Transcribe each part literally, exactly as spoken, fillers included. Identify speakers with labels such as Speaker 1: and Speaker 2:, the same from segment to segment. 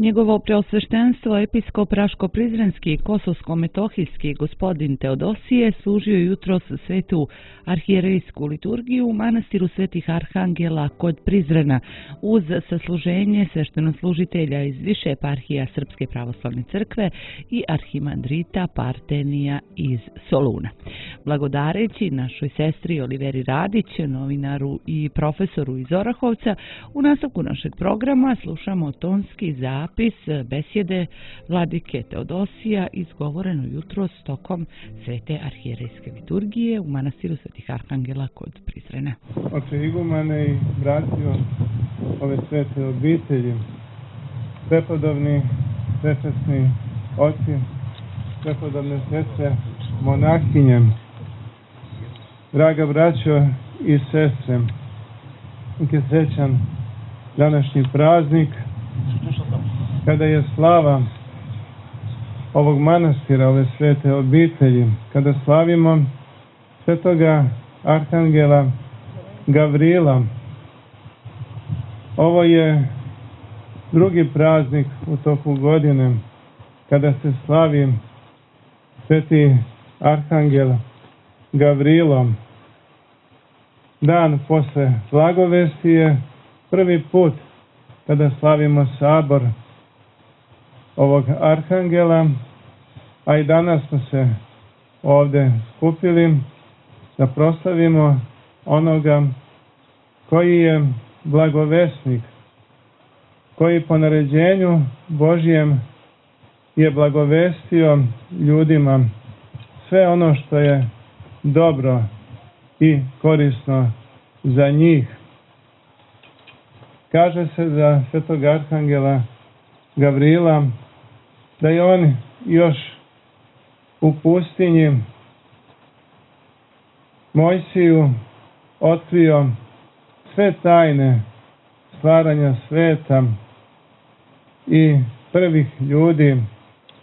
Speaker 1: Njegovo preosveštenstvo episkop Raško-Prizrenski i Kosovsko-Metohijski gospodin Teodosije služio jutros svetu arhijerejsku liturgiju u manastiru Svetih Arhangela kod Prizrena uz sasluženje sveštenoslужitelja iz više eparhija Srpske pravoslavne crkve i arhimandrita Partenija iz Soluna. Blagodareći našoj sestri Oliveri Radić, novinaru i profesoru iz Orahovca, u nastavku našeg programa slušamo tonski zapis besjede vladike Teodosija izgovoreno jutros tokom svete arhijerejske liturgije u manastiru Svetih Arhangela kod Prizrena.
Speaker 2: Oče igumane i bratio ove svete obitelji, prepodobni, prečasni oci, prepodobne sestre, monahinje, draga braćo i sestre, nek je srećan današnji praznik kada je slava ovog manastira, ove svete obitelji, kada slavimo svetoga Arhangela Gavrila. Ovo je drugi praznik u toku godine kada se slavi sveti Arhangel Gavrilo. Dan posle Blagovesti je prvi put kada slavimo sabor ovog Arhangela, a i danas smo se ovde skupili da proslavimo onoga koji je blagovesnik, koji po naređenju Božjem je blagovestio ljudima sve ono što je dobro i korisno za njih. Kaže se za svetog Arhangela Gavrila da je on još u pustinji Mojsiju otkrio sve tajne stvaranja sveta i prvih ljudi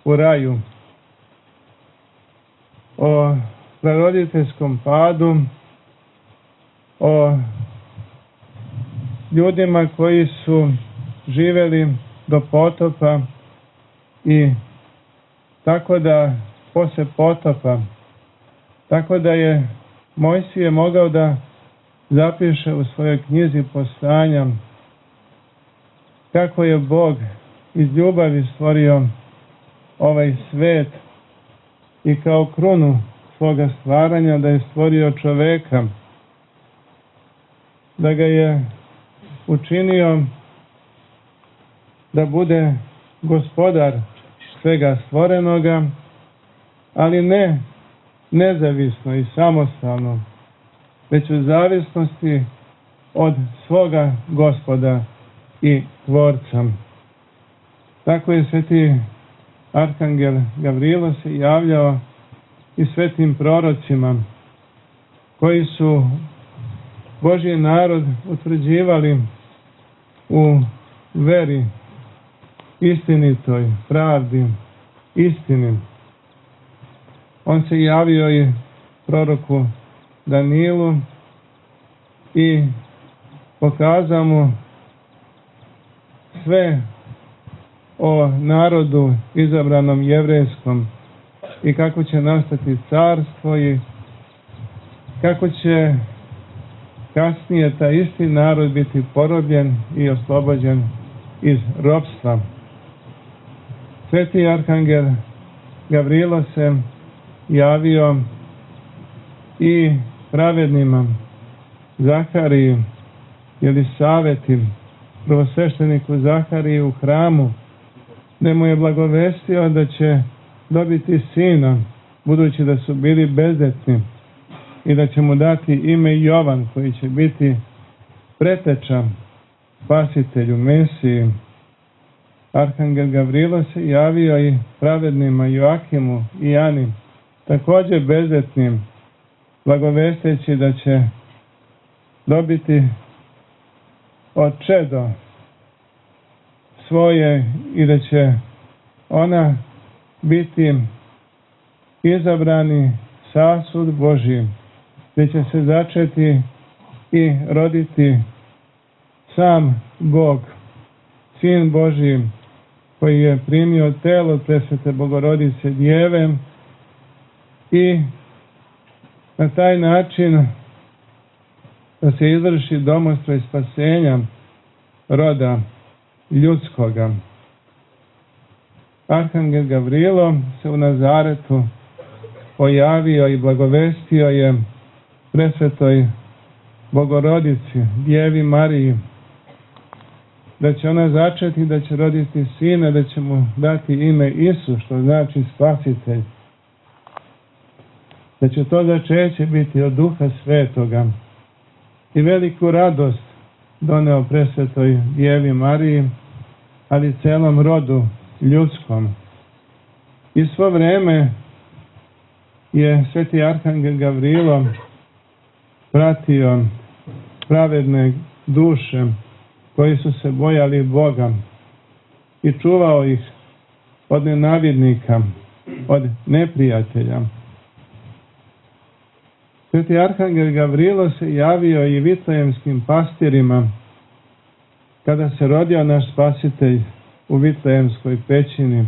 Speaker 2: u raju. O praroditeljskom padu, o ljudima koji su živeli do potopa i tako da posle potopa, tako da je Mojsije mogao da zapiše u svojoj knjizi Postanja kako je Bog iz ljubavi stvorio ovaj svet i kao krunu svoga stvaranja da je stvorio čoveka, da ga je učinio da bude gospodar svega stvorenoga, ali ne nezavisno i samostalno, već u zavisnosti od svoga Gospoda i Tvorca. Tako je sveti Arhangel Gavrilo se javljao i svetim prorocima koji su Božji narod utvrđivali u veri istinitoj, pravdi, istini. On se javio i proroku Danilu i pokazao mu sve o narodu izabranom jevrejskom i kako će nastati carstvo i kako će kasnije taj isti narod biti porobljen i oslobođen iz ropstva. Sveti Arhangel Gavrilo se javio i pravednima Zahariji, Jelisaveti, prvosvešteniku Zahariji u hramu, gde mu je blagovestio da će dobiti sina, budući da su bili bezdetni, i da će mu dati ime Jovan, koji će biti preteča spasitelju, Mesiji. Arhangel Gavrilo se javio i pravednima Joakimu i Ani, također bezdetnim, blagovesteći da će dobiti od čedo svoje i da će ona biti izabrani sasud Božji, gdje će se začeti i roditi sam Bog, Sin Božji, koji je primio telo presvete Bogorodice Djeve i na taj način da se izvrši domostroj spasenja roda ljudskoga. Arhangel Gavrilo se u Nazaretu pojavio i blagovestio je presvetoj Bogorodici, Djevi Mariji, da će ona začeti, da će roditi sina, da će mu dati ime Isus, što znači spasitelj. Da će to začeće biti od Duha Svetoga. I veliku radost doneo presvetoj Djevi Mariji, ali celom rodu ljudskom. I svo vreme je sveti Arhangel Gavrilo pratio pravedne duše koji su se bojali Boga i čuvao ih od nenavidnika, od neprijatelja. Sveti Arhangel Gavrilo se javio i vitlejemskim pastirima kada se rodio naš spasitelj u Vitlejemskoj pećini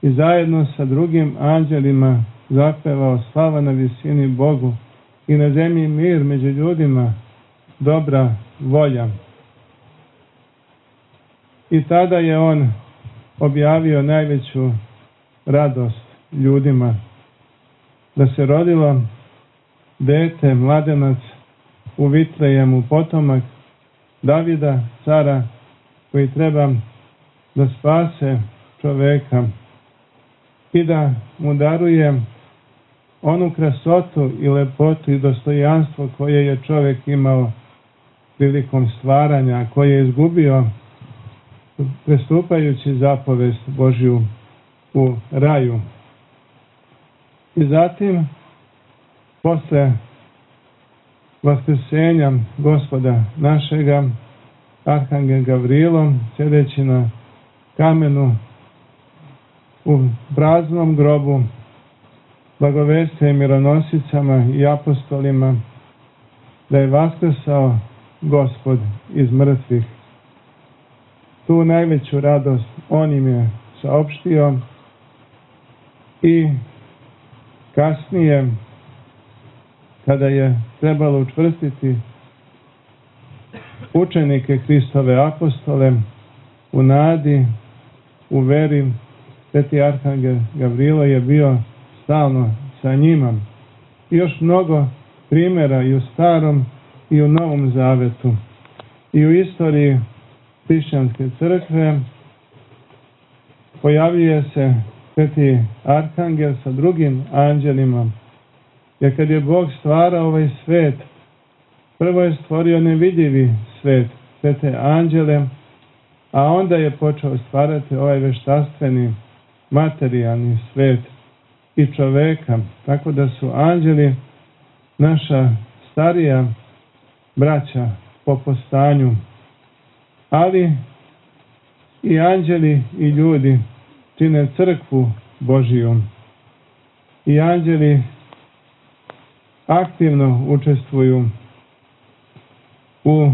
Speaker 2: i zajedno sa drugim anđelima zapevao slava na visini Bogu i na zemlji mir među ljudima, dobra volja. I tada je on objavio najveću radost ljudima, da se rodilo dete, mladenac u Vitlejemu, potomak Davida, cara, koji treba da spase čoveka i da mu daruje onu krasotu i lepotu i dostojanstvo koje je čovek imao prilikom stvaranja, koje je izgubio prestupajući zapovest Božju u raju. I zatim, posle vaskrsenja Gospoda našega, Arhangel Gavrilo, sjedeći na kamenu u praznom grobu, blagoveste mironosicama i apostolima da je vaskrsao Gospod iz mrtvih. Tu najveću radost on im je saopštio i kasnije, kada je trebalo učvrstiti učenike Hristove apostole u nadi, u veri, sveti Arhangel Gavrilo je bio stalno sa njima. I još mnogo primjera i u Starom i u Novom Zavetu. I u istoriji hrišćanske crkve pojavljuje se sveti Arhangel sa drugim anđelima. Jer kad je Bog stvarao ovaj svet, prvo je stvorio nevidljivi svet, sve te anđele, a onda je počeo stvarati ovaj veštaštveni, materijalni svet i čoveka. Tako da su anđeli naša starija braća po postanju. Ali i anđeli i ljudi čine crkvu Božiju. I anđeli aktivno učestvuju u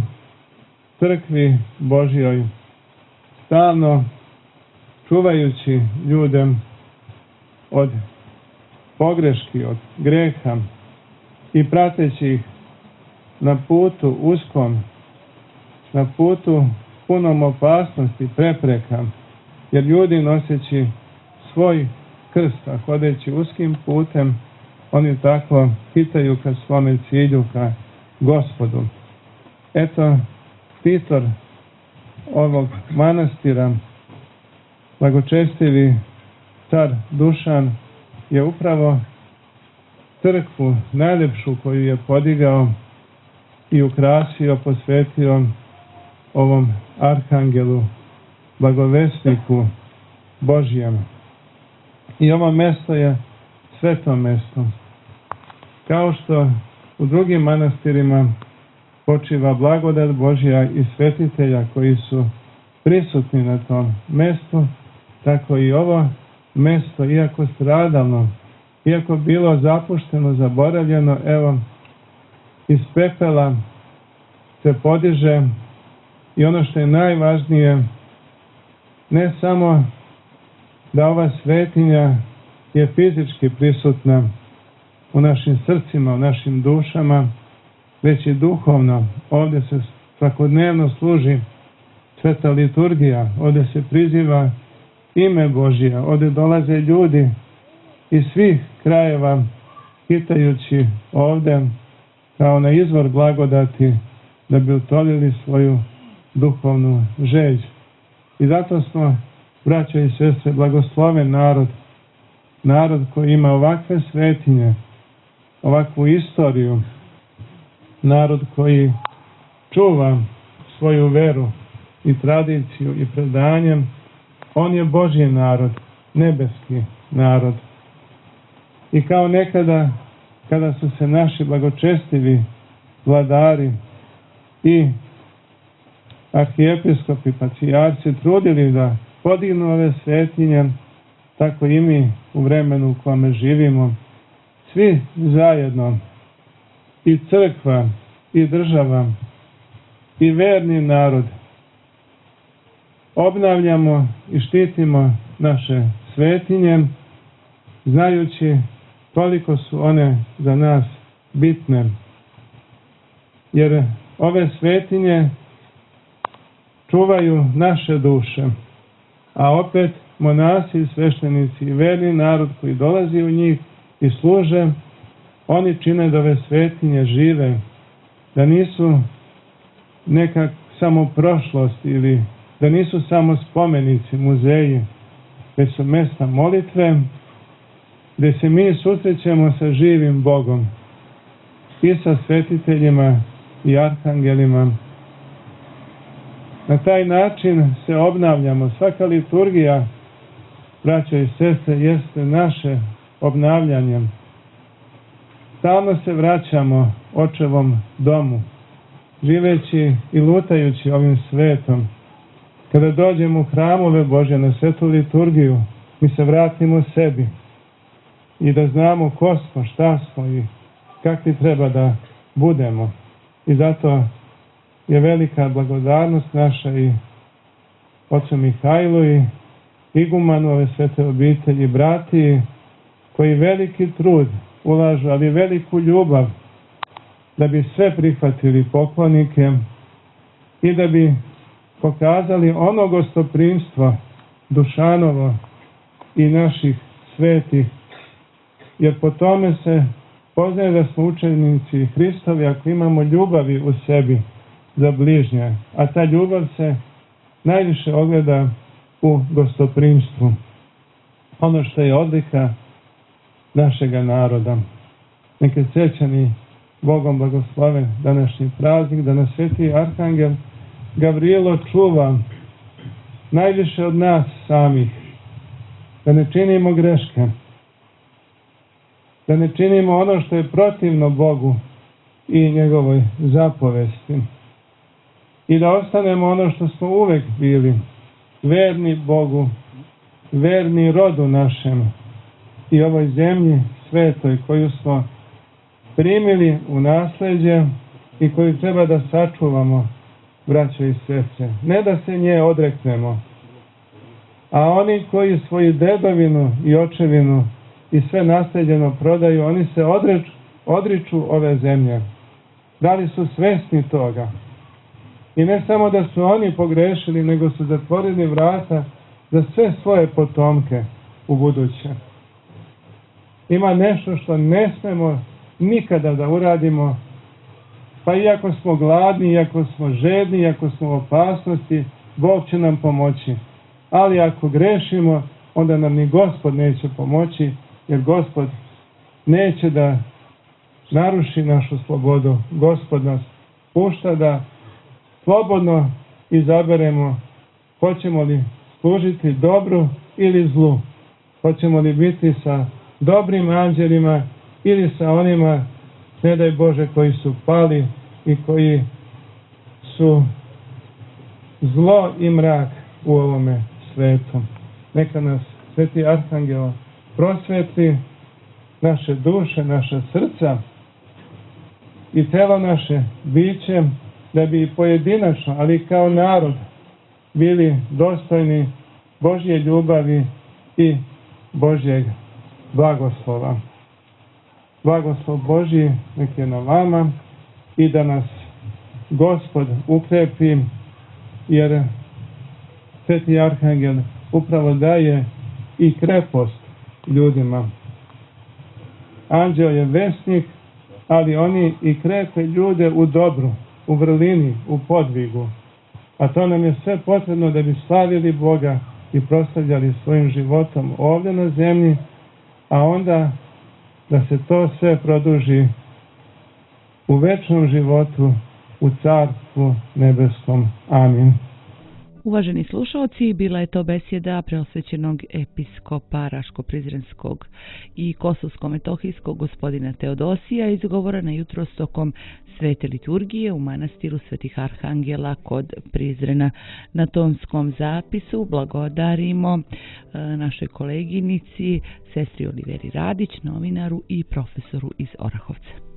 Speaker 2: crkvi Božjoj, stalno čuvajući ljude od pogreški, od greha i prateći ih na putu uskom, na putu punom opasnosti, prepreka, jer ljudi noseći svoj krst, a hodeći uskim putem, oni tako hitaju ka svome cilju, ka Gospodu. Eto, titor ovog manastira, blagočestivi car Dušan, je upravo crkvu najlepšu koju je podigao i ukrasio, posvetio ovom arhangelu, blagovesniku Božjem. I ovo mesto je sveto mesto. Kao što u drugim manastirima počiva blagodat Božja i svetitelja koji su prisutni na tom mestu, tako i ovo mesto, iako stradalno, iako bilo zapušteno, zaboravljeno, evo, iz pepela se podiže i ono što je najvažnije, ne samo da ova svetinja je fizički prisutna u našim srcima, u našim dušama, već i duhovno. Ovdje se svakodnevno služi sveta liturgija, ovdje se priziva ime Božje, ovdje dolaze ljudi iz svih krajeva hitajući ovdje kao na izvor blagodati da bi utolili svoju duhovnu žeđ. I zato smo, braćo i sestre, blagosloven narod, narod koji ima ovakve svetinje, ovakvu istoriju, narod koji čuva svoju veru i tradiciju i predanjem. On je Božji narod, nebeski narod. I kao nekada, kada su se naši blagočestivi vladari i arhijepiskopi, patrijarci trudili da podignu ove svetinje, tako i mi u vremenu u kome živimo, svi zajedno, i crkva, i država, i verni narod, obnavljamo i štitimo naše svetinje, znajući koliko su one za nas bitne. Jer ove svetinje čuvaju naše duše, a opet monasi, sveštenici i verni narod koji dolazi u njih i služe, oni čine da ove svetinje žive, da nisu nekak samo prošlost ili da nisu samo spomenici, muzeji, već su mjesta molitve gdje se mi susrećemo sa živim Bogom i sa svetiteljima i arhangelima. Na taj način se obnavljamo. Svaka liturgija, braćo i sestre, jeste naše obnavljanje. Stalno se vraćamo Očevom domu, živeći i lutajući ovim svetom. Kada dođemo u hramove Božje na svetu liturgiju, mi se vratimo sebi i da znamo ko smo, šta smo i kakvi treba da budemo. I zato je velika blagodarnost naša i ocu Mihajlu i igumanu ove svete obitelji, brati koji veliki trud ulažu, ali veliku ljubav da bi sve prihvatili poklonike i da bi pokazali ono gostoprimstvo Dušanovo i naših svetih, jer po tome se poznaje da smo učenici Hristovi ako imamo ljubavi u sebi za bližnje, a ta ljubav se najviše ogleda u gostoprimstvu. Ono što je odlika našega naroda. Neke srećani Bogom blagosloven današnji praznik, da nas sveti arhangel Gavrilo čuva najviše od nas samih, da ne činimo greške, da ne činimo ono što je protivno Bogu i njegovoj zapovesti i da ostanemo ono što smo uvek bili, verni Bogu, verni rodu našem i ovoj zemlji svetoj koju smo primili u nasljeđe i koju treba da sačuvamo, braćo i sestre. Ne da se nje odreknemo, a oni koji svoju dedovinu i očevinu i sve nasljeđeno prodaju, oni se odreč, odriču ove zemlje. Da li su svesni toga? I ne samo da su oni pogrešili, nego su zatvorili vrata za sve svoje potomke u buduće. Ima nešto što ne smemo nikada da uradimo, pa iako smo gladni, iako smo žedni, iako smo u opasnosti, Bog će nam pomoći. Ali ako grešimo, onda nam ni Gospod neće pomoći, jer Gospod neće da naruši našu slobodu. Gospod nas pušta da slobodno izaberemo hoćemo li služiti dobru ili zlu. Hoćemo li biti sa dobrim anđelima ili sa onima, ne daj Bože, koji su pali i koji su zlo i mrak u ovome svetu. Neka nas sveti arhangel prosvetli naše duše, naša srca i celo naše biće, da bi pojedinačno, ali kao narod, bili dostojni Božje ljubavi i Božjeg blagoslova. Blagoslov Božji nek je na vama i da nas Gospod ukrepi, jer Sveti Arhangel upravo daje i krepost ljudima. Anđeo je vesnik, ali oni i krepe ljude u dobru, u vrlini, u podvigu. A to nam je sve potrebno da bi slavili Boga i proslavljali svojim životom ovdje na zemlji, a onda da se to sve produži u večnom životu, u Carstvu nebeskom. Amin.
Speaker 1: Uvaženi slušalci, bila je to besjeda preosvećenog episkopa Raško-Prizrenskog i Kosovsko-Metohijskog gospodina Teodosija, izgovorena jutros tokom svete liturgije u manastiru Svetih Arhangela kod Prizrena. Na tonskom zapisu blagodarimo našoj koleginici, sestri Oliveri Radić, novinaru i profesoru iz Orahovca.